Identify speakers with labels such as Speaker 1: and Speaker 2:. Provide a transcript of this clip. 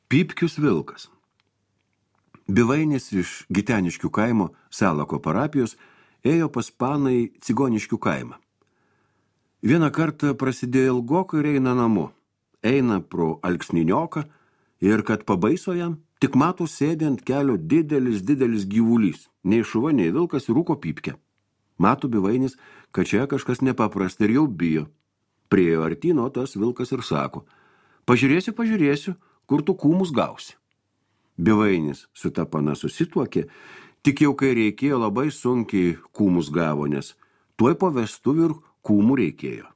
Speaker 1: Pypkius vilkas. Bivainis iš Giteniškių kaimo Salako parapijos ėjo pas paną į Cigoniškių kaimą. Vieną kartą prasidėjo ilgokai ir eina namo. Eina pro alksninioką ir kad pabaiso jam, tik mato sėdė ant kelio didelis gyvulys. Nei šuva, nei vilkas rūko pypkę. Mato Bivainis, kad čia kažkas nepaprasta ir jau bijo. Priėjo artyn, o tas vilkas ir sako: pažiūrėsiu, kur tu kūmus gausi. Bivainis su ta pana susituokė, tik jau kai reikėjo labai sunkiai kūmus gavo, nes tuoj po vestuvių ir kūmų reikėjo.